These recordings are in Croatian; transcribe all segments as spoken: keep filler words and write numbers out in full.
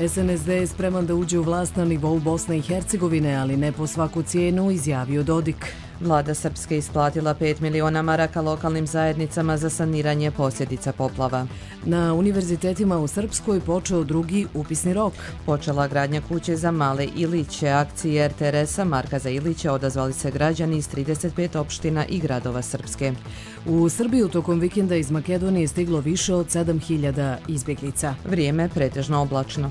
S N S D je spreman da uđe u vlast na nivou Bosne i Hercegovine, ali ne po svaku cijenu, izjavio Dodik. Vlada Srpske isplatila pet miliona maraka lokalnim zajednicama za saniranje posljedica poplava. Na univerzitetima u Srpskoj počeo drugi upisni rok. Počela gradnja kuće za male Iliće. Akciji R T R S-a Marka za Iliće odazvali se građani iz trideset pet opština i gradova Srpske. U Srbiju tokom vikenda iz Makedonije stiglo više od sedam hiljada izbjeglica. Vrijeme pretežno oblačno.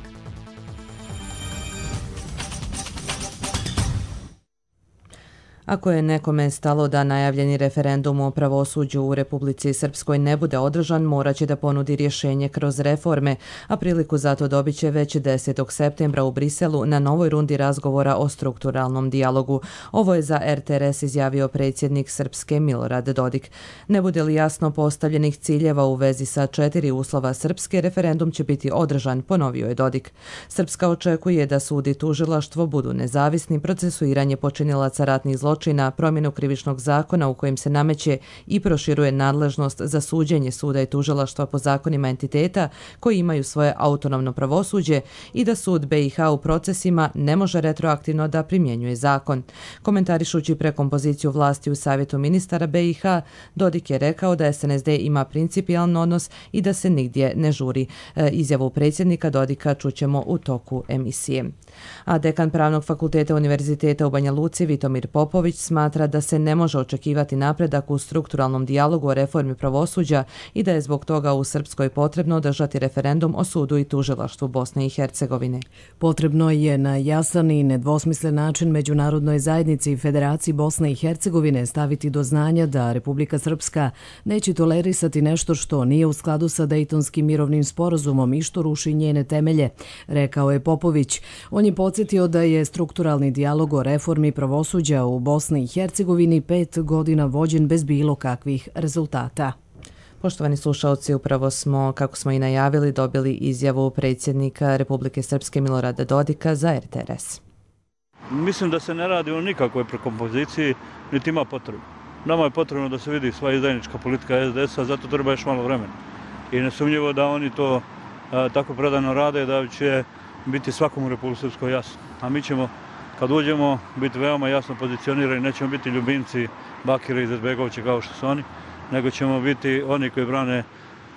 Ako je nekome stalo da najavljeni referendum o pravosuđu u Republici Srpskoj ne bude održan, morat će da ponudi rješenje kroz reforme, a priliku za to dobit će već desetog septembra u Briselu na novoj rundi razgovora o strukturalnom dijalogu. Ovo je za R T R S izjavio predsjednik Srpske Milorad Dodik. Ne bude li jasno postavljenih ciljeva u vezi sa četiri uslova Srpske, referendum će biti održan, ponovio je Dodik. Srpska očekuje da sud i tužilaštvo budu nezavisni, procesuiranje počinilaca ratnih zločina, na promjenu krivičnog zakona u kojem se nameće i proširuje nadležnost za suđenje suda i tužilaštva po zakonima entiteta koji imaju svoje autonomno pravosuđe i da sud B i H u procesima ne može retroaktivno da primjenjuje zakon. Komentarišući prekompoziciju vlasti u Savjetu ministara B i H, Dodik je rekao da S N S D ima principijalan odnos i da se nigdje ne žuri. E, izjavu predsjednika Dodika čućemo u toku emisije. A dekan Pravnog fakulteta Univerziteta u Banja Luci Vitomir Popović smatra da se ne može očekivati napredak u strukturalnom dijalogu o reformi pravosuđa i da je zbog toga u Srpskoj potrebno održati referendum o sudu i tužilaštvu Bosne i Hercegovine. Potrebno je na jasan i nedvosmislen način Međunarodnoj zajednici i Federaciji Bosne i Hercegovine staviti do znanja da Republika Srpska neće tolerisati nešto što nije u skladu sa Dejtonskim mirovnim sporazumom i što ruši njene temelje, rekao je Popović. On je podsjetio da je strukturalni dijalog o reformi pravosuđa u Bosni i Hercegovini pet godina vođen bez bilo kakvih rezultata. Poštovani slušalci, upravo smo, kako smo i najavili, dobili izjavu predsjednika Republike Srpske Milorada Dodika za R T R S. Mislim da se ne radi o nikakvoj prekompoziciji, niti ima potrebu. Nama je potrebno da se vidi sva izdajnička politika S D S-a, zato treba još malo vremena. I nesumnjivo da oni to a, tako predano rade da će biti svakom u Republike Srpskoj jasno. A mi ćemo, kad uđemo, biti veoma jasno pozicionirani, nećemo biti ljubimci Bakira i Izetbegovića kao što su oni, nego ćemo biti oni koji brane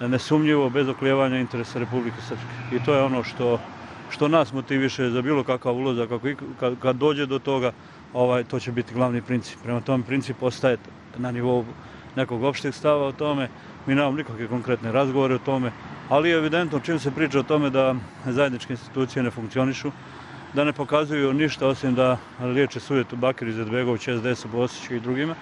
nesumnjivo, bez oklijevanja interesa Republike Srpske. I to je ono što, što nas motiviše za bilo kakav ulazak. Kad, kad dođe do toga, ovaj, to će biti glavni princip. Prema tom princip ostaje na nivou nekog opšteg stava o tome. Mi nemamo nikakve konkretne razgovore o tome, ali je evidentno čim se priča o tome da zajedničke institucije ne funkcionišu, da ne pokazuju ništa osim da liječe sujetu Bakir Izetbegović, S D S, Bosić i drugima,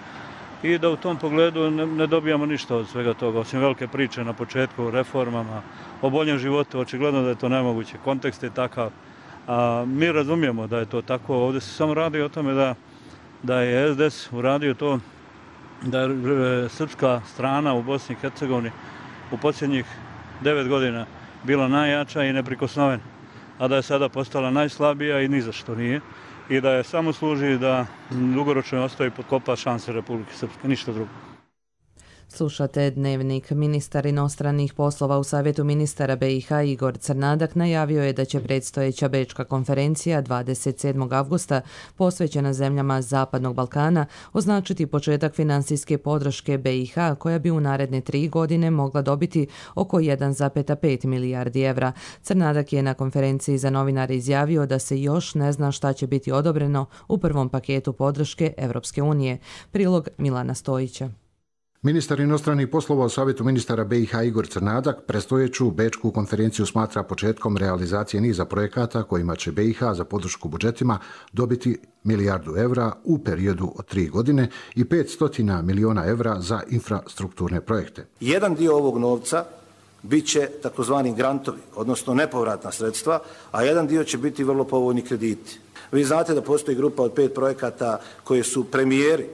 i da u tom pogledu ne, ne dobijamo ništa od svega toga, osim velike priče na početku o reformama, o boljem životu. Očigledno da je to nemoguće. Kontekst je takav. A, mi razumijemo da je to tako. Ovdje se samo radi o tome da, da je S D S uradio to, da je srpska strana u Bosni i Hercegovini u posljednjih devet godina bila najjača i neprikosnovena, a da je sada postala najslabija i ni za što nije, i da je samo služi da dugoročno ostaje potkopa šanse Republike Srpske, ništa drugo. Slušate Dnevnik. Ministar inostranih poslova u Savjetu ministara B i H Igor Crnadak najavio je da će predstojeća Bečka konferencija dvadeset sedmog avgusta posvećena zemljama Zapadnog Balkana označiti početak finansijske podrške B i H koja bi u naredne tri godine mogla dobiti oko jedan zarez pet milijardi evra. Crnadak je na konferenciji za novinare izjavio da se još ne zna šta će biti odobreno u prvom paketu podrške Evropske unije. Prilog Milana Stojića. Ministar inostranih poslova u Savjetu ministara B i H Igor Crnadak predstojeću Bečku konferenciju smatra početkom realizacije niza projekata kojima će B i H za podršku budžetima dobiti milijardu evra u periodu od tri godine i petsto miliona evra za infrastrukturne projekte. Jedan dio ovog novca bit će takozvani grantovi, odnosno nepovratna sredstva, a jedan dio će biti vrlo povoljni krediti. Vi znate da postoji grupa od pet projekata koje su premijeri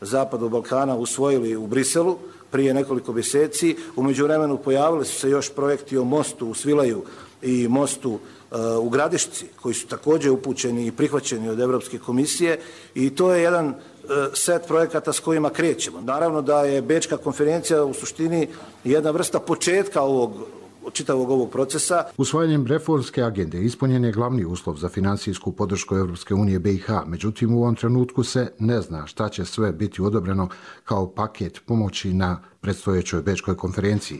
Zapadnog Balkana usvojili u Briselu prije nekoliko mjeseci. U međuvremenu pojavili su se još projekti o mostu u Svilaju i mostu uh, u Gradišci, koji su također upućeni i prihvaćeni od Europske komisije, i to je jedan uh, set projekata s kojima krećemo. Naravno da je Bečka konferencija u suštini jedna vrsta početka ovog čitavog ovog procesa. Usvajanjem reformske agende ispunjen je glavni uslov za financijsku podršku Europske unije B i H, međutim u ovom trenutku se ne zna šta će sve biti odobreno kao paket pomoći na predstojećoj Bečkoj konferenciji.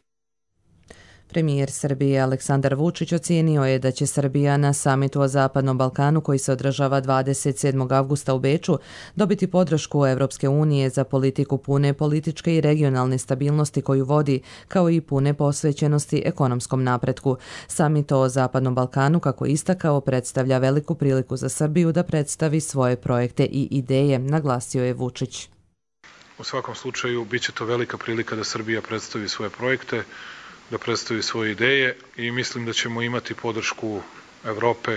Premijer Srbije Aleksandar Vučić ocijenio je da će Srbija na samitu o Zapadnom Balkanu koji se održava dvadeset sedmog avgusta u Beču dobiti podršku Evropske unije za politiku pune političke i regionalne stabilnosti koju vodi, kao i pune posvećenosti ekonomskom napretku. Samit o Zapadnom Balkanu, kako istakao, predstavlja veliku priliku za Srbiju da predstavi svoje projekte i ideje, naglasio je Vučić. U svakom slučaju bit će to velika prilika da Srbija predstavi svoje projekte, da predstavi svoje ideje i mislim da ćemo imati podršku Evrope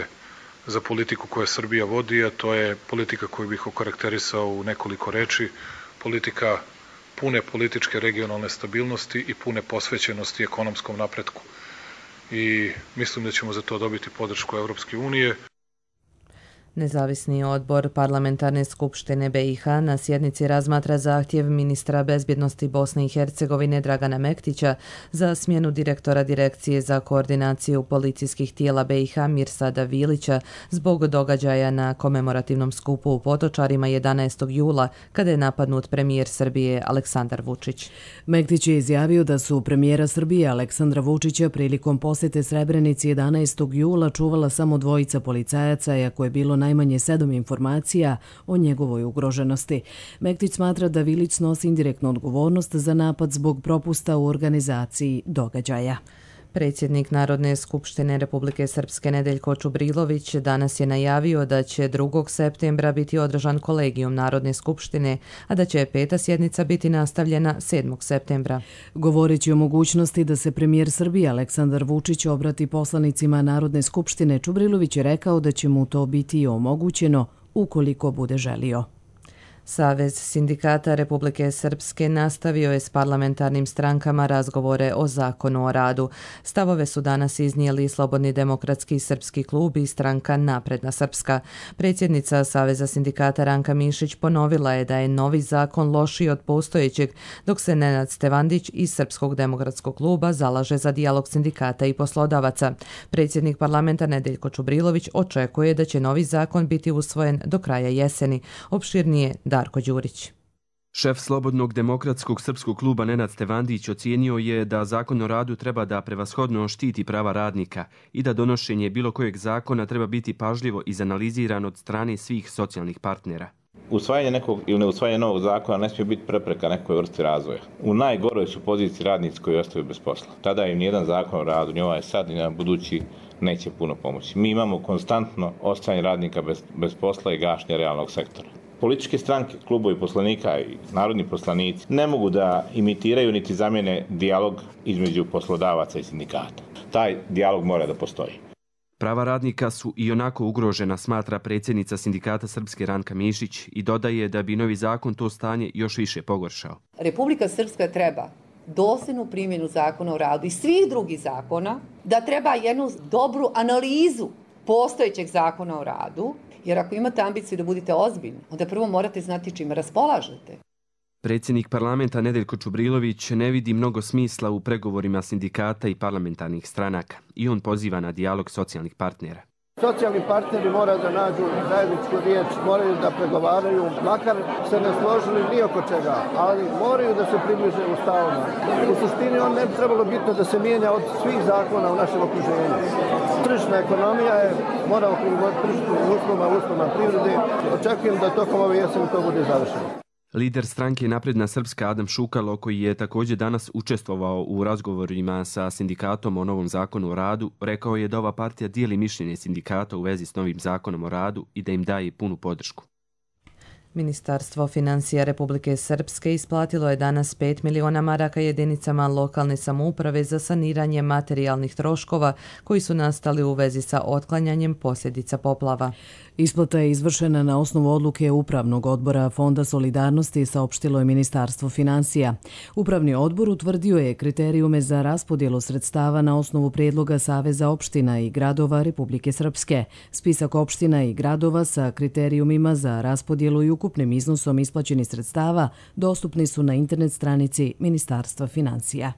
za politiku koju Srbija vodi, a to je politika koju bih okarakterisao u nekoliko reči, politika pune političke regionalne stabilnosti i pune posvećenosti ekonomskom napretku. I mislim da ćemo za to dobiti podršku Evropske unije. Nezavisni odbor Parlamentarne skupštine B i H na sjednici razmatra zahtjev ministra bezbjednosti Bosne i Hercegovine Dragana Mektića za smjenu direktora Direkcije za koordinaciju policijskih tijela B i H Mirsada Vilića zbog događaja na komemorativnom skupu u Potočarima jedanaestog jula kada je napadnut premijer Srbije Aleksandar Vučić. Mektić je izjavio da su premijera Srbije Aleksandra Vučića prilikom posjete Srebrenici jedanaestog jula čuvala samo dvojica policajaca, iako je bilo najmanje sedam informacija o njegovoj ugroženosti. Mektić smatra da Vilić snosi indirektnu odgovornost za napad zbog propusta u organizaciji događaja. Predsjednik Narodne skupštine Republike Srpske Nedeljko Čubrilović danas je najavio da će drugog septembra biti održan kolegijum Narodne skupštine, a da će peta sjednica biti nastavljena sedmog septembra. Govoreći o mogućnosti da se premijer Srbije Aleksandar Vučić obrati poslanicima Narodne skupštine, Čubrilović je rekao da će mu to biti omogućeno ukoliko bude želio. Savez sindikata Republike Srpske nastavio je s parlamentarnim strankama razgovore o zakonu o radu. Stavove su danas iznijeli Slobodni demokratski srpski klub i stranka Napredna Srpska. Predsjednica Saveza sindikata Ranka Mišić ponovila je da je novi zakon lošiji od postojećeg, dok se Nenad Stevandić iz Srpskog demokratskog kluba zalaže za dijalog sindikata i poslodavaca. Predsjednik parlamenta Nedeljko Čubrilović očekuje da će novi zakon biti usvojen do kraja jeseni. Opširnije Darko Đurić. Šef Slobodnog demokratskog srpskog kluba Nenad Stevandić ocijenio je da zakon o radu treba da prevashodno štiti prava radnika i da donošenje bilo kojeg zakona treba biti pažljivo izanaliziran od strane svih socijalnih partnera. Usvajanje nekog ili neusvajanje novog zakona ne smije biti prepreka nekoj vrsti razvoja. U najgoroj su poziciji radnici koji ostaju bez posla. Tada im nijedan zakon o radu, ni ovaj sad, ni na budući, neće puno pomoći. Mi imamo konstantno ostajanje radnika bez, bez posla i gašnje realnog sektora. Političke stranke, klubovi poslanika i narodni poslanici ne mogu da imitiraju niti zamjene dijalog između poslodavaca i sindikata. Taj dijalog mora da postoji. Prava radnika su i onako ugrožena, smatra predsjednica sindikata Srpske Ranka Mišić i dodaje da bi novi zakon to stanje još više pogoršao. Republika Srpska treba dosljednu primjenu zakona o radu i svih drugih zakona, da treba jednu dobru analizu postojećeg zakona o radu, jer ako imate ambiciju da budete ozbiljni, onda prvo morate znati čime raspolažete. Predsjednik parlamenta Nedeljko Čubrilović ne vidi mnogo smisla u pregovorima sindikata i parlamentarnih stranaka i on poziva na dijalog socijalnih partnera. Socijalni partneri moraju da nađu zajedničku riječ, moraju da pregovaraju, makar se ne složili ni oko čega, ali moraju da se približe u stavama. U suštini on ne bi trebalo bitno da se mijenja od svih zakona u našem okruženju. Tržišna ekonomija je, moramo prilagoditi tržišnim uslovima, uslovima privrede. Očekujem da tokom ove jeseni to bude završeno. Lider stranke Napredna Srpska Adam Šukalo, koji je također danas učestvovao u razgovorima sa sindikatom o novom zakonu o radu, rekao je da ova partija dijeli mišljenje sindikata u vezi s novim zakonom o radu i da im daje punu podršku. Ministarstvo financija Republike Srpske isplatilo je danas pet miliona maraka jedinicama lokalne samouprave za saniranje materijalnih troškova koji su nastali u vezi sa otklanjanjem posljedica poplava. Isplata je izvršena na osnovu odluke Upravnog odbora Fonda solidarnosti, saopštilo je Ministarstvo financija. Upravni odbor utvrdio je kriterijume za raspodjelu sredstava na osnovu prijedloga Saveza opština i gradova Republike Srpske. Spisak opština i gradova sa kriterijumima za raspodjelu i ukupnim iznosom isplaćenih sredstava dostupni su na internet stranici Ministarstva financija.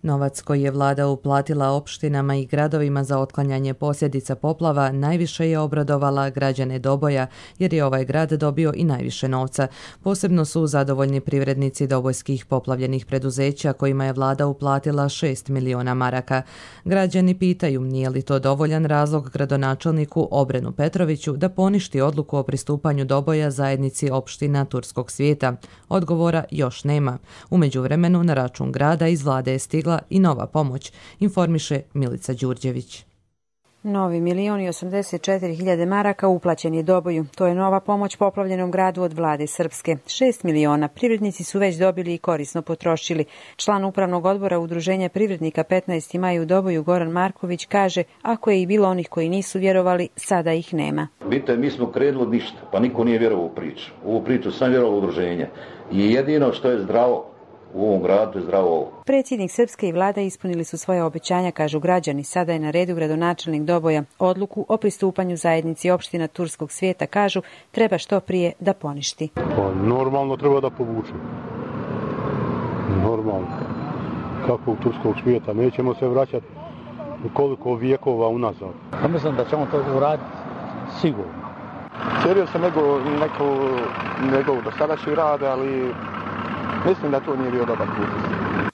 Novac koji je vlada uplatila opštinama i gradovima za otklanjanje posljedica poplava najviše je obradovala građane Doboja, jer je ovaj grad dobio i najviše novca. Posebno su zadovoljni privrednici dobojskih poplavljenih preduzeća kojima je vlada uplatila šest miliona maraka. Građani pitaju nije li to dovoljan razlog gradonačelniku Obrenu Petroviću da poništi odluku o pristupanju Doboja zajednici opština Turskog svijeta. Odgovora još nema. U međuvremenu na račun grada iz vlade je stigla i nova pomoć, informiše Milica Đurđević. Novi milion i osamdeset četiri hiljade maraka uplaćen je Doboju. To je nova pomoć poplavljenom gradu od vlade Srpske. Šest miliona privrednici su već dobili i korisno potrošili. Član upravnog odbora Udruženja privrednika petnaesti maj u Doboju Goran Marković kaže, ako je i bilo onih koji nisu vjerovali, sada ih nema. Vidite, mi smo krenuli od ništa, pa niko nije vjerovao u priču. U ovu priču sam vjerovao udruženje. I jedino što je zdravo u ovom gradu je zdravo ovo. Predsjednik Srpske i vlada ispunili su svoje obećanja, kažu građani. Sada je na redu gradonačelnik Doboja. Odluku o pristupanju zajednici opština Turskog svijeta, kažu, treba što prije da poništi. Pa normalno treba da povuče. Normalno. Kako u Turskog svijeta. Nećemo se vraćati koliko vijekova unazad. Pa mislim da ćemo to uraditi sigurno. Cijerio sam nego, neko, njegov dosadašnji rad, ali mislim da to nije bio dobar put.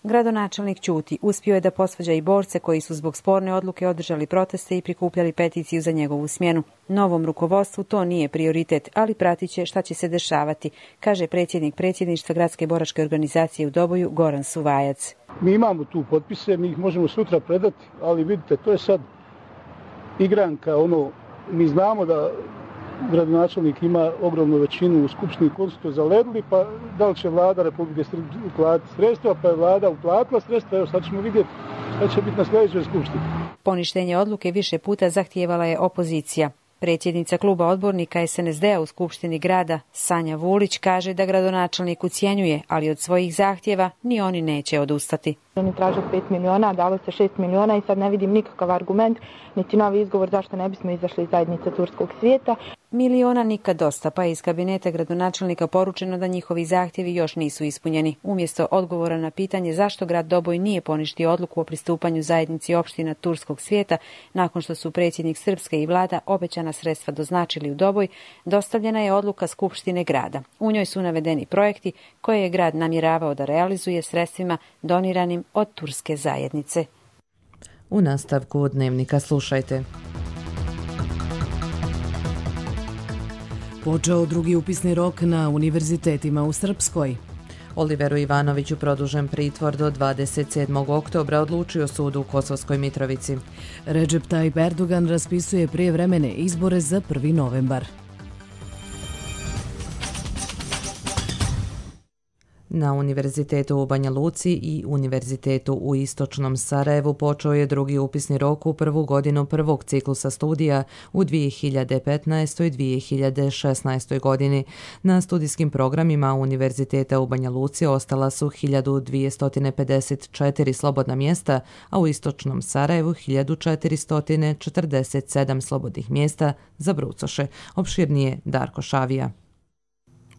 Gradonačelnik ćuti. Uspio je da posvađa i borce koji su zbog sporne odluke održali proteste i prikupljali peticiju za njegovu smjenu. Novom rukovodstvu to nije prioritet, ali pratit će šta će se dešavati, kaže predsjednik predsjedništva Gradske boračke organizacije u Doboju Goran Suvajac. Mi imamo tu potpise, mi ih možemo sutra predati, ali vidite, to je sad igranka, ono, mi znamo da gradonačelnik ima ogromnu većinu u Skupštini koju su to zaledili, pa da li će vlada Republike Srpske uplatiti sredstva, pa je vlada uplatila sredstva, evo sad ćemo vidjeti šta će biti na sljedećoj Skupštini. Poništenje odluke više puta zahtijevala je opozicija. Predsjednica kluba odbornika es en es de a u Skupštini grada, Sanja Vulić, kaže da gradonačelnik ucjenjuje, ali od svojih zahtjeva ni oni neće odustati. Oni traže pet miliona, dalo se šest miliona i sad ne vidim nikakav argument, niti novi izgovor zašto ne bismo izašli iz zajednice Turskog svijeta. Miliona nikad dosta, pa je iz kabineta gradonačelnika poručeno da njihovi zahtjevi još nisu ispunjeni. Umjesto odgovora na pitanje zašto grad Doboj nije poništio odluku o pristupanju zajednici opština Turskog svijeta, nakon što su predsjednik Srpske i vlada obećana sredstva doznačili u Doboj, dostavljena je odluka Skupštine grada. U njoj su navedeni projekti koje je grad namjeravao da realizuje sredstvima doniranim od turske zajednice. U nastavku dnevnika slušajte. Počeo drugi upisni rok na univerzitetima u Srpskoj. Oliveru Ivanoviću produžen pritvor do dvadeset sedmog oktobra, odlučio sud u Kosovskoj Mitrovici. Recep Tayyip Erdogan raspisuje prijevremene izbore za prvi novembar. Na Univerzitetu u Banja Luci i Univerzitetu u Istočnom Sarajevu počeo je drugi upisni rok u prvu godinu prvog ciklusa studija u dvije hiljade petnaestoj i dvije hiljade šesnaestoj godini. Na studijskim programima Univerziteta u Banja Luci ostala su hiljadu dvjesto pedeset četiri slobodna mjesta, a u Istočnom Sarajevu hiljadu četiristo četrdeset sedam slobodnih mjesta za brucoše. Opširnije Darko Šavija.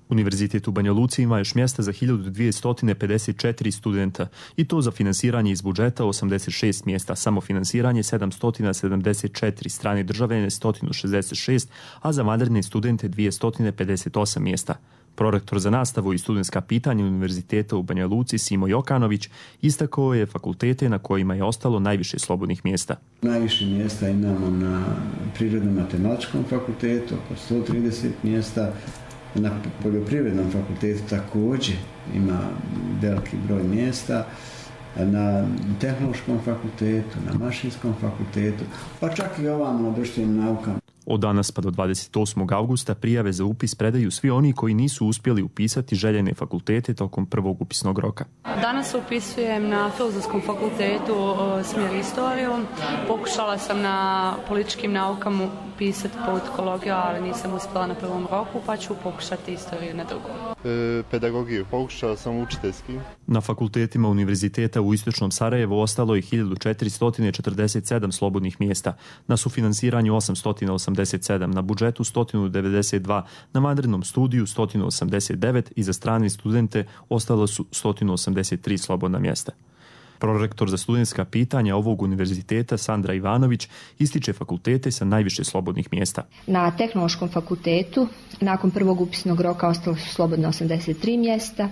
Univerzitet u Banja Luci ima još mjesta za hiljadu dvjesto pedeset četiri studenta i to za finansiranje iz budžeta osamdeset šest mjesta, samofinansiranje sedamsto sedamdeset četiri, strane državljane sto šezdeset šest, a za vanredne studente dvjesto pedeset osam mjesta. Prorektor za nastavu i studentska pitanja Univerziteta u Banja Luci Simo Jokanović istakao je fakultete na kojima je ostalo najviše slobodnih mjesta. Najviše mjesta imamo na Prirodno-matematičkom fakultetu, oko sto trideset mjesta. Na poljoprivrednom fakultetu također ima veliki broj mjesta, na tehnološkom fakultetu, na mašinskom fakultetu, pa čak i ovamo na društvenim naukama. Od danas pa do dvadeset osmog augusta prijave za upis predaju svi oni koji nisu uspjeli upisati željene fakultete tokom prvog upisnog roka. Danas upisujem na Filozofskom fakultetu smjer istoriju. Pokušala sam na političkim naukama upisati politikologiju, ali nisam uspjela na prvom roku, pa ću pokušati istoriju na drugom. E, pedagogiju, pokušala sam učiteljski. Na fakultetima Univerziteta u Istočnom Sarajevu ostalo je hiljadu četiristo četrdeset sedam slobodnih mjesta, na sufinansiranju osamsto osamdeset sedam, na budžetu sto devedeset dva, na vanrednom studiju sto osamdeset devet i za strane studente ostalo su sto osamdeset tri slobodna mjesta. Prorektor za studentska pitanja ovog univerziteta Sandra Ivanović ističe fakultete sa najviše slobodnih mjesta. Na Tehnološkom fakultetu nakon prvog upisnog roka ostalo su slobodno osamdeset tri mjesta,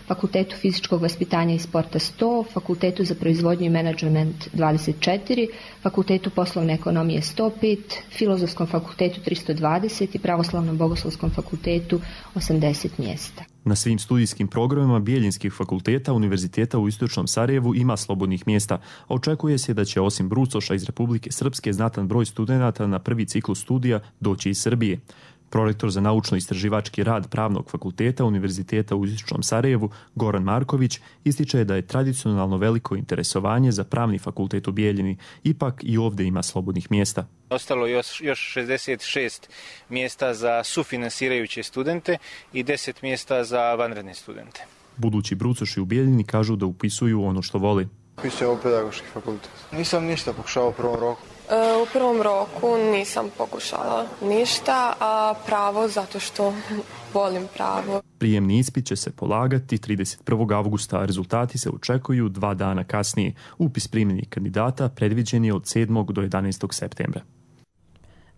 Fakultetu fizičkog vaspitanja i sporta sto, Fakultetu za proizvodnju i menadžment dvadeset četiri, Fakultetu poslovne ekonomije sto pet, Filozofskom fakultetu tristo dvadeset i Pravoslavnom bogoslovskom fakultetu osamdeset mjesta. Na svim studijskim programima Bijeljinskih fakulteta Univerziteta u Istočnom Sarajevu ima slobodnih mjesta. Očekuje se da će osim Brucoša iz Republike Srpske znatan broj studenata na prvi ciklus studija doći iz Srbije. Prorektor za naučno-istraživački rad Pravnog fakulteta Univerziteta u Istočnom Sarajevu Goran Marković ističe da je tradicionalno veliko interesovanje za Pravni fakultet u Bijeljini, ipak i ovdje ima slobodnih mjesta. Ostalo još, još šezdeset šest mjesta za sufinansirajuće studente i deset mjesta za vanredne studente. Budući brucoši u Bijeljini kažu da upisuju ono što voli. Upisujem u pedagoški fakultet. Nisam ništa pokušao u prvom roku. U prvom roku nisam pokušala ništa, a pravo zato što volim pravo. Prijemni ispit će se polagati trideset prvog avgusta, a rezultati se očekuju dva dana kasnije. Upis primljenih kandidata predviđen je od sedmog do jedanaestog septembra.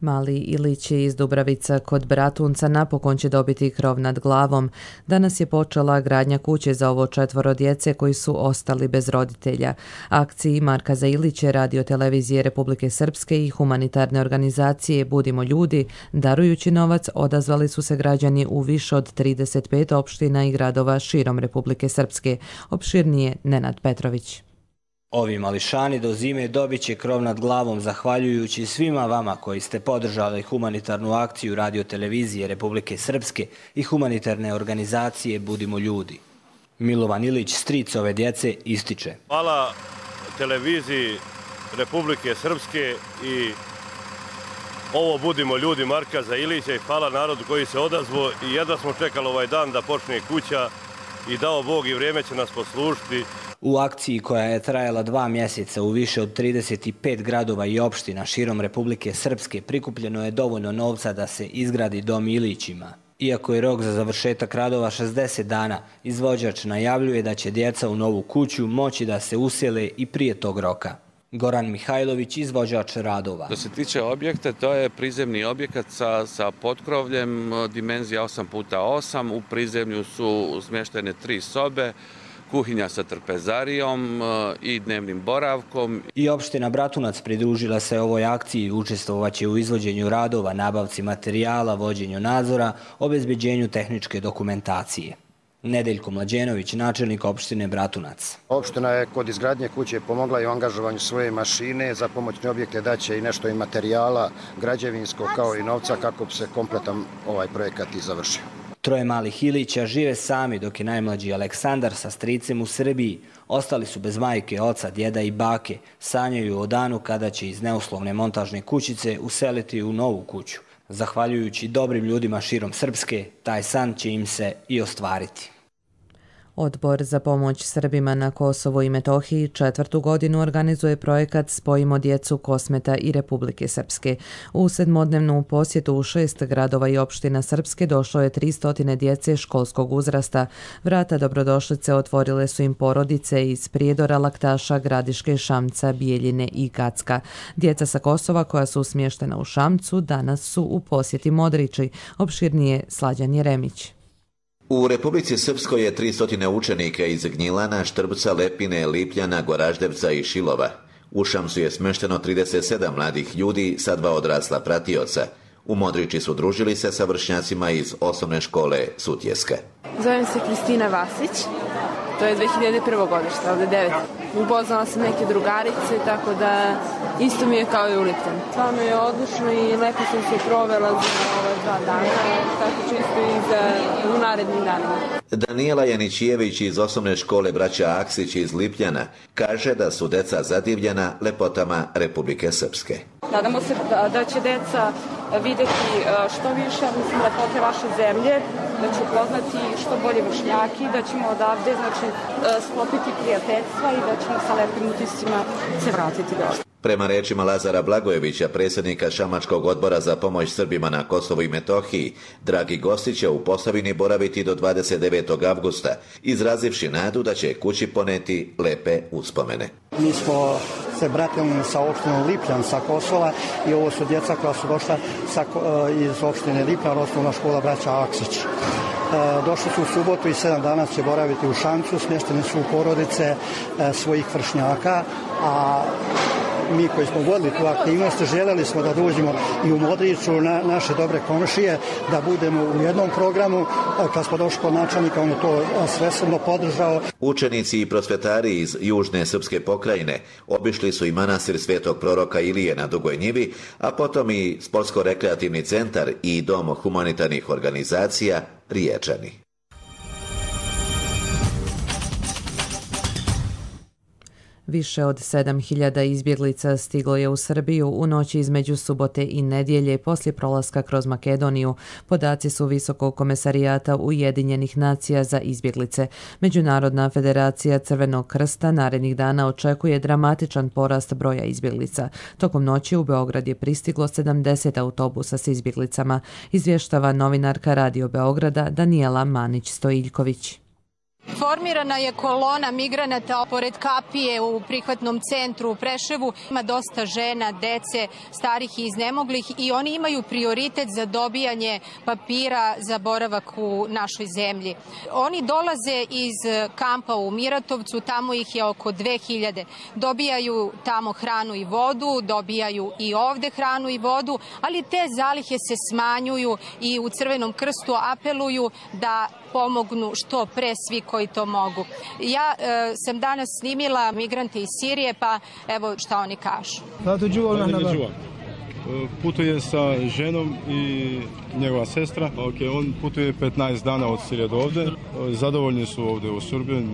Mali Ilić iz Dubravica kod Bratunca napokon će dobiti krov nad glavom. Danas je počela gradnja kuće za ovo četvoro djece koji su ostali bez roditelja. Akciji Markaza Ilića, Radio televizije Republike Srpske i humanitarne organizacije Budimo ljudi, darujući novac, odazvali su se građani u više od trideset pet opština i gradova širom Republike Srpske. Opširnije Nenad Petrović. Ovi mališani do zime dobit će krov nad glavom zahvaljujući svima vama koji ste podržali humanitarnu akciju Radio televizije Republike Srpske i humanitarne organizacije Budimo ljudi. Milovan Ilić, stric ove djece, ističe. Hvala televiziji Republike Srpske i ovo Budimo ljudi Markaza Ilića i hvala narodu koji se odazvao i jedva smo čekali ovaj dan da počne kuća i dao Bog i vrijeme će nas poslužiti. U akciji koja je trajala dva mjeseca u više od trideset pet gradova i opština širom Republike Srpske prikupljeno je dovoljno novca da se izgradi dom Ilićima. Iako je rok za završetak radova šezdeset dana, izvođač najavljuje da će djeca u novu kuću moći da se usele i prije tog roka. Goran Mihajlović, izvođač radova. Što se tiče objekta, to je prizemni objekat sa, sa potkrovljem, dimenzija osam puta osam. U prizemlju su smještene tri sobe, kuhinja sa trpezarijom i dnevnim boravkom. I opština Bratunac pridružila se ovoj akciji, učestvovaće u izvođenju radova, nabavci materijala, vođenju nadzora, obezbeđenju tehničke dokumentacije. Nedeljko Mlađenović, načelnik opštine Bratunac. Opština je kod izgradnje kuće pomogla i u angažovanju svoje mašine, za pomoćne objekte daće i nešto i materijala građevinskog kao i novca kako bi se kompletan ovaj projekat i završio. Troje malih Ilića žive sami, dok je najmlađi Aleksandar sa stricem u Srbiji. Ostali su bez majke, oca, djeda i bake. Sanjaju o danu kada će iz neuslovne montažne kućice useliti u novu kuću. Zahvaljujući dobrim ljudima širom Srpske, taj san će im se i ostvariti. Odbor za pomoć Srbima na Kosovu i Metohiji četvrtu godinu organizuje projekat Spojimo djecu Kosmeta i Republike Srpske. U sedmodnevnu posjetu u šest gradova i opština Srpske došlo je tristo djece školskog uzrasta. Vrata dobrodošlice otvorile su im porodice iz Prijedora, Laktaša, Gradiške, Šamca, Bijeljine i Gacka. Djeca sa Kosova koja su smještena u Šamcu danas su u posjeti Modriči. Opširnije Slađan Jeremić. U Republici Srpskoj je tristo učenika iz Gnjilana, Štrbca, Lepine, Lipljana, Goraždevca i Šilova. U Šamcu je smešteno trideset sedam mladih ljudi sa dva odrasla pratioca. U Modriči su družili se sa vršnjacima iz osnovne škole Sutjeska. Zovem se Kristina Vasić, to je dve hiljade prve godište, ovdje devet. Upoznala sam neke drugarice, tako da isto mi je kao i u Lipljanu. Stvarno je odlično i lepo sam se provela za ove dva dana, tako čisto i za u narednim danima. Danijela Janićijević iz osnovne škole braća Aksić iz Lipljana kaže da su deca zadivljena lepotama Republike Srpske. Nadamo se da, da će deca videti što više, mislim, lepote vaše zemlje, da ću upoznati što bolje vršnjaki, da ćemo odavde, znači, sklopiti prijateljstva i da ćemo sa lepim utiscima se vratiti dole. Prema rečima Lazara Blagojevića, predsjednika Šamačkog odbora za pomoć Srbima na Kosovu i Metohiji, dragi gosti će u Posavini boraviti do dvadeset devetog avgusta, izrazivši nadu da će kući poneti lepe uspomene. Mi smo se bratili sa opštinom Lipljan sa Kosova i ovo su djeca koja su došla sa, iz opštine Lipljan, osnovna škola braća Aksić. Došli su u subotu i sedam dana će boraviti u Šamcu, smještene su u porodice svojih vršnjaka, a mi koji smo vodili tu aktivnost, željeli smo da dođemo i u Modriću na naše dobre komšije, da budemo u jednom programu. Kad smo došli kod načelnika, on je to svesrdno podržao. Učenici i prosvetari iz južne srpske pokrajine obišli su i manastir Svetog proroka Ilije na Dugoj Njivi, a potom i sportsko-rekreativni centar i dom humanitarnih organizacija Riječani. Više od sedam hiljada izbjeglica stiglo je u Srbiju u noći između subote i nedjelje poslije prolaska kroz Makedoniju. Podaci su Visokog komesarijata Ujedinjenih nacija za izbjeglice. Međunarodna federacija Crvenog krsta narednih dana očekuje dramatičan porast broja izbjeglica. Tokom noći u Beograd je pristiglo sedamdeset autobusa s izbjeglicama, izvještava novinarka Radio Beograda Danijela Manić-Stojiljković. Formirana je kolona migranata pored kapije u prihvatnom centru u Preševu. Ima dosta žena, dece, starih i iznemoglih i oni imaju prioritet za dobijanje papira za boravak u našoj zemlji. Oni dolaze iz kampa u Miratovcu, tamo ih je oko dve hiljade. Dobijaju tamo hranu i vodu, dobijaju i ovde hranu i vodu, ali te zalihe se smanjuju i u Crvenom krstu apeluju da pomognu što pre svi koji to mogu. Ja e, sam danas snimila migrante iz Sirije, pa evo šta oni kažu. Putuje sa ženom i njegova sestra. Okay, on putuje petnaest dana od Sirije do ovde. Zadovoljni su ovde u Srbiji.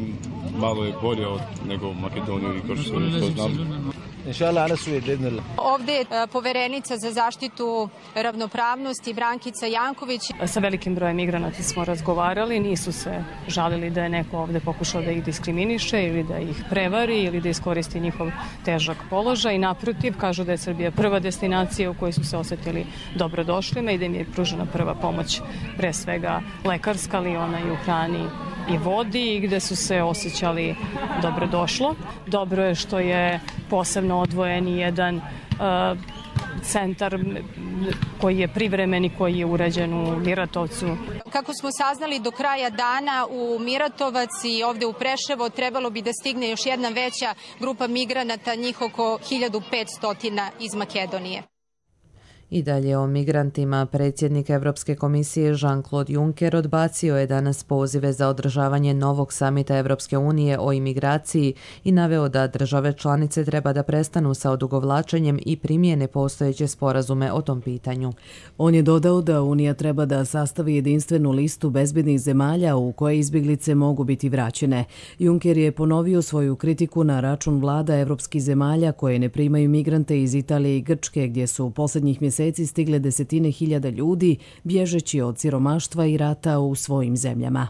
Malo je bolje od nego u Makedoniju i kao što znam. Ovdje je poverenica za zaštitu ravnopravnosti Brankica Janković. Sa velikim brojem migranata smo razgovarali, nisu se žalili da je neko ovdje pokušao da ih diskriminiše ili da ih prevari ili da iskoristi njihov težak položaj. Naprotiv, kažu da je Srbija prva destinacija u kojoj su se osjetili dobrodošlima i da im je pružena prva pomoć, pre svega lekarska, ali ona i u hrani i vodi, gde su se osjećali dobrodošlo. Dobro je što je posebno odvojen jedan uh, centar koji je privremen i koji je urađen u Miratovcu. Kako smo saznali, do kraja dana u Miratovac i ovde u Preševo trebalo bi da stigne još jedna veća grupa migranata, njih oko hiljadu petsto iz Makedonije. I dalje o migrantima. Predsjednik Evropske komisije Jean-Claude Juncker odbacio je danas pozive za održavanje novog samita Evropske unije o imigraciji i naveo da države članice treba da prestanu sa odugovlačenjem i primijene postojeće sporazume o tom pitanju. On je dodao da Unija treba da sastavi jedinstvenu listu bezbednih zemalja u koje izbjeglice mogu biti vraćene. Juncker je ponovio svoju kritiku na račun vlada evropskih zemalja koje ne primaju migrante iz Italije i Grčke, gdje su u posljednjih mjeseci stigle desetine hiljada ljudi bježeći od siromaštva i rata u svojim zemljama.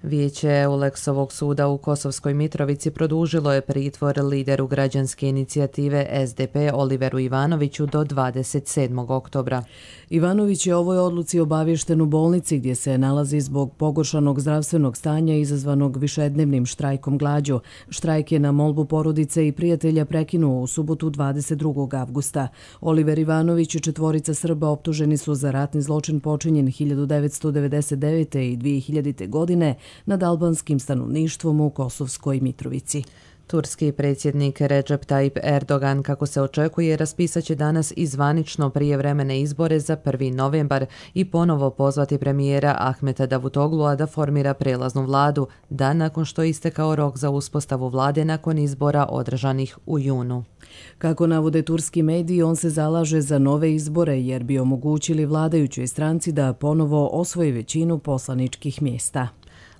Vijeće Euleksovog suda u Kosovskoj Mitrovici produžilo je pritvor lideru građanske inicijative S D P Oliveru Ivanoviću do dvadeset sedmog oktobra. Ivanović je o ovoj odluci obaviješten u bolnici gdje se nalazi zbog pogoršanog zdravstvenog stanja izazvanog višednevnim štrajkom glađu. Štrajk je na molbu porodice i prijatelja prekinuo u subotu dvadeset drugog avgusta. Oliver Ivanović i četvorica Srba optuženi su za ratni zločin počinjen hiljadu devetsto devedeset devete. i dvije hiljadite. godine nad albanskim stanovništvom u Kosovskoj Mitrovici. Turski predsjednik Recep Tayyip Erdogan, kako se očekuje, raspisat će danas i zvanično prijevremene izbore za prvi novembar i ponovo pozvati premijera Ahmeta Davutoglua da formira prelaznu vladu, dan nakon što je istekao rok za uspostavu vlade nakon izbora održanih u junu. Kako navode turski mediji, on se zalaže za nove izbore jer bi omogućili vladajućoj stranci da ponovo osvoji većinu poslaničkih mjesta.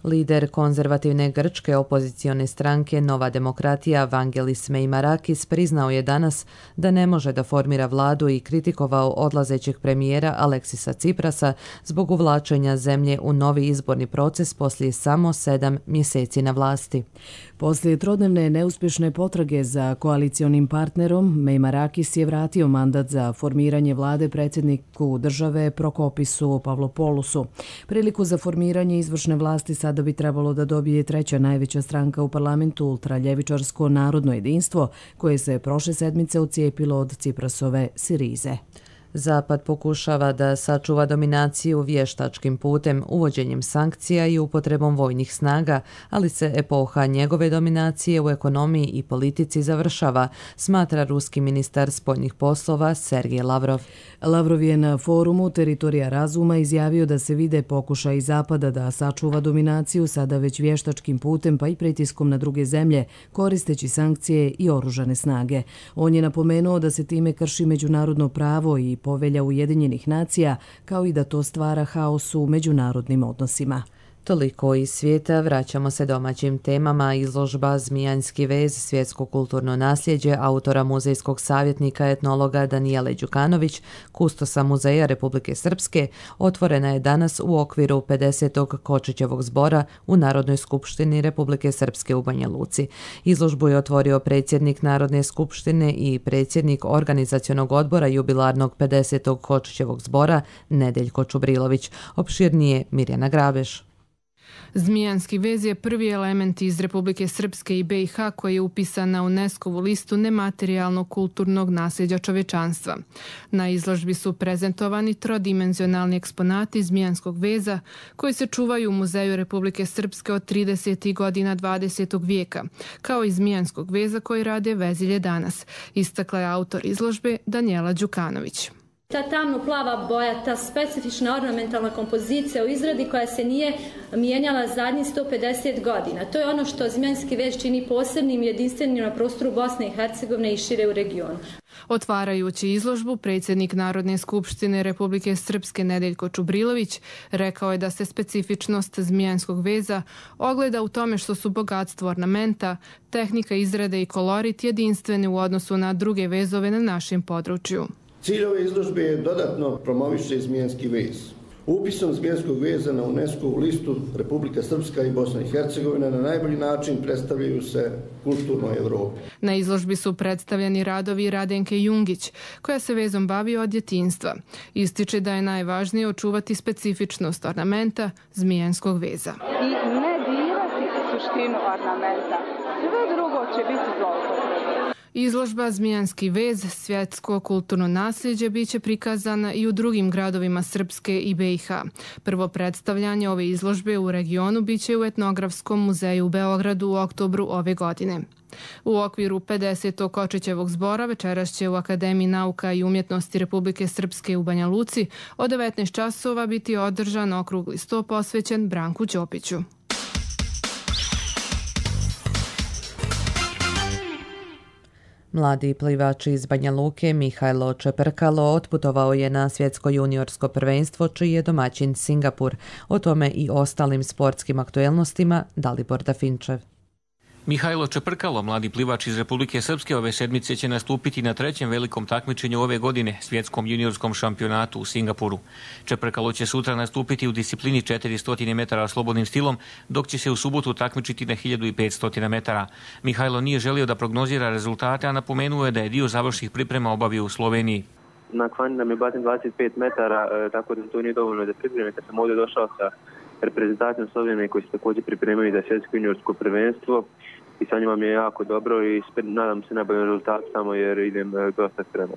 Lider konzervativne grčke opozicione stranke Nova demokratija Vangelis Meimarakis priznao je danas da ne može da formira vladu i kritikovao odlazećeg premijera Aleksisa Tsiprasa zbog uvlačenja zemlje u novi izborni proces poslije samo sedam mjeseci na vlasti. Poslije trodnevne neuspješne potrage za koalicionim partnerom, Meimarakis je vratio mandat za formiranje vlade predsjedniku države Prokopisu Pavlopoulosu. Priliku za formiranje izvršne vlasti sada bi trebalo da dobije treća najveća stranka u parlamentu, ultraljevičarsko narodno jedinstvo, koje se prošle sedmice odcijepilo od Tsiprasove Sirize. Zapad pokušava da sačuva dominaciju vještačkim putem, uvođenjem sankcija i upotrebom vojnih snaga, ali se epoha njegove dominacije u ekonomiji i politici završava, smatra ruski ministar spoljnih poslova Sergej Lavrov. Lavrov je na forumu Teritorija razuma izjavio da se vide pokušaj Zapada da sačuva dominaciju sada već vještačkim putem pa i pritiskom na druge zemlje, koristeći sankcije i oružane snage. On je napomenuo da se time krši međunarodno pravo i povelja Ujedinjenih nacija, kao i da to stvara haos u međunarodnim odnosima. Toliko iz svijeta, vraćamo se domaćim temama. Izložba Zmijanski vez, svjetsko kulturno nasljeđe autora muzejskog savjetnika etnologa Danijele Đukanović, kustosa Muzeja Republike Srpske, otvorena je danas u okviru pedesetog Kočićevog zbora u Narodnoj skupštini Republike Srpske u Banja Luci. Izložbu je otvorio predsjednik Narodne skupštine i predsjednik organizacionog odbora jubilarnog pedesetog Kočićevog zbora Nedeljko Čubrilović. Opširnije Mirjana Grabeš. Zmijanski vez je prvi element iz Republike Srpske i B i H koji je upisan na UNESCO-vu listu nematerijalnog kulturnog nasljeđa čovečanstva. Na izložbi su prezentovani trodimenzionalni eksponati Zmijanskog veza koji se čuvaju u Muzeju Republike Srpske od tridesetih godina dvadesetog vijeka, kao i Zmijanskog veza koji rade vezilje danas, istakla je autor izložbe Danijela Đukanović. Ta tamno-plava boja, ta specifična ornamentalna kompozicija u izradi koja se nije mijenjala zadnjih sto pedeset godina. To je ono što Zmijanski vez čini posebnim i jedinstvenim na prostoru Bosne i Hercegovine i šire u regionu. Otvarajući izložbu, predsjednik Narodne skupštine Republike Srpske Nedeljko Čubrilović rekao je da se specifičnost Zmijanskog veza ogleda u tome što su bogatstvo ornamenta, tehnika izrade i kolorit jedinstveni u odnosu na druge vezove na našem području. Cilj ove izložbe je dodatno promoviše Zmijanski vez. Upisom Zmijanskog veza na UNESCO-vu listu Republika Srpska i Bosna i Hercegovina na najbolji način predstavljaju se kulturnoj Evropi. Na izložbi su predstavljeni radovi Radenke Jungić, koja se vezom bavi od djetinjstva. Ističe da je najvažnije očuvati specifičnost ornamenta Zmijanskog veza. I ne dirati suštinu ornamenta. Sve drugo će biti zloupotreba. Izložba Zmijanski vez, svjetsko kulturno nasljeđe, biće prikazana i u drugim gradovima Srpske i B i H. Prvo predstavljanje ove izložbe u regionu biće u Etnografskom muzeju u Beogradu u oktobru ove godine. U okviru pedesetog Kočićevog zbora večeras će u Akademiji nauka i umjetnosti Republike Srpske u Banja Luci od devetnaest časova biti održan okrugli sto posvećen Branku Ćopiću. Mladi plivač iz Banja Luke Mihajlo Čeprkalo otputovao je na svjetsko juniorsko prvenstvo čiji je domaćin Singapur. O tome i ostalim sportskim aktuelnostima Dalibor Dafinčev. Mihajlo Čeprkalo, mladi plivač iz Republike Srpske, ove sedmice će nastupiti na trećem velikom takmičenju ove godine, svjetskom juniorskom šampionatu u Singapuru. Čeprkalo će sutra nastupiti u disciplini četiristo metara slobodnim stilom, dok će se u subotu takmičiti na hiljadu petsto metara. Mihajlo nije želio da prognozira rezultate, a napomenuo je da je dio završnih priprema obavio u Sloveniji. Na kvani nam je batin dvadeset pet metara, tako da to nije dovoljno da pripreme. Kad sam ovdje došao sa reprezentacijom Slovenije koji se također pripremaju za svjetsko juniorsko prvenstvo i sa njima mi je jako dobro i nadam se najboljem rezultatu samo jer idem dosta spremno.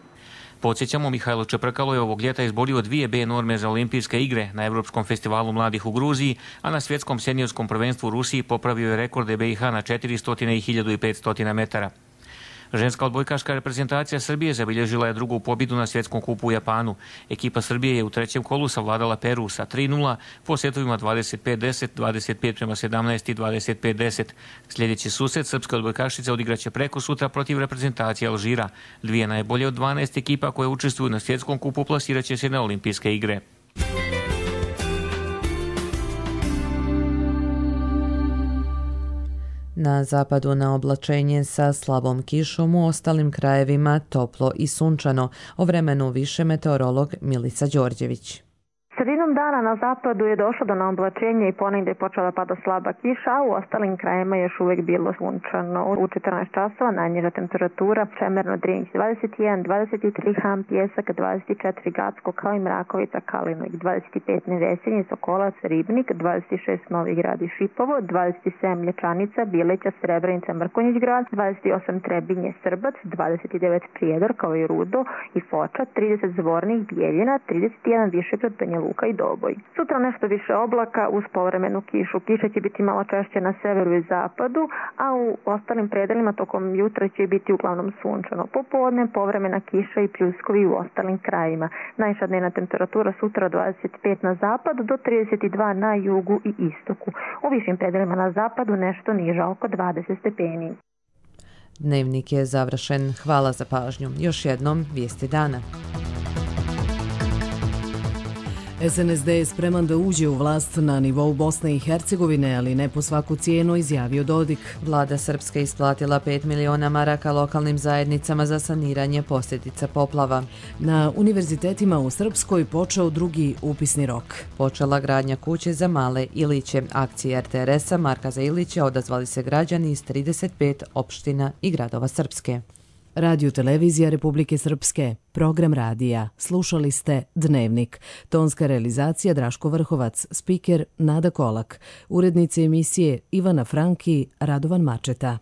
Podsjećamo, Mihajlo Čeprkalo je ovog ljeta izborio dvije B norme za olimpijske igre na Evropskom festivalu mladih u Gruziji, a na svjetskom seniorskom prvenstvu u Rusiji popravio je rekorde B i H na četiristo i hiljadu petsto metara. Ženska odbojkaška reprezentacija Srbije zabilježila je drugu pobjedu na svjetskom kupu u Japanu. Ekipa Srbije je u trećem kolu savladala Peru sa tri nula po setovima dvadeset pet deset, dvadeset pet prema sedamnaest i dvadeset pet deset. Sljedeći susret srpske odbojkašice odigraće preko sutra protiv reprezentacije Alžira. Dvije najbolje od dvanaest ekipa koje učestvuju na svjetskom kupu plasiraće se na olimpijske igre. Na zapadu na oblačenje sa slabom kišom, u ostalim krajevima toplo i sunčano. O vremenu više meteorolog Milica Đorđević. Sredinom dana na zapadu je došlo do naoblačenja i ponegdje je počela pada slaba kiša, a u ostalim krajima još uvijek bilo sunčano. U četrnaest časova najniža temperatura Čemerno Drinć dvadeset jedan, dvadeset tri Han, Pjesak dvadeset četiri, Gacko kao i Mrakovica, Kalinog dvadeset pet, Nevesinje, Sokolac, Ribnik dvadeset šest, Novi Grad i Šipovo, dvadeset sedam, Lječanica, Bileća, Srebrenica, Mrkonjić Grad, dvadeset osam, Trebinje, Srbac, dvadeset devet, Prijedor kao i Rudo i Foča, trideset, Zvornik, Bijeljina, trideset jedan, Višegrad, Banja Luka i Doboj. Sutra nešto više oblaka uz povremenu kišu. Kiša će biti malo češće na severu i zapadu, a u ostalim predelima tokom jutra će biti uglavnom sunčano. Popodne povremena kiša i pljuskovi u ostalim krajima. Najviša dnevna temperatura sutra dvadeset pet na zapadu do trideset dva na jugu i istoku. U višim predelima na zapadu nešto niža, oko dvadeset stepeni. Dnevnik je završen. Hvala za pažnju. Još jednom vijesti dana. S N S D je spreman da uđe u vlast na nivou Bosne i Hercegovine, ali ne po svaku cijenu, izjavio Dodik. Vlada Srpske isplatila pet miliona maraka lokalnim zajednicama za saniranje posljedica poplava. Na univerzitetima u Srpskoj počeo drugi upisni rok. Počela gradnja kuće za male Iliće. Akcije R T R S-a Marka za Iliće odazvali se građani iz trideset pet opština i gradova Srpske. Radio Televizija Republike Srpske, program radija. Slušali ste Dnevnik. Tonska realizacija Draško Vrhovac, spiker Nada Kolak, urednice emisije Ivana Franki, Radovan Mačeta.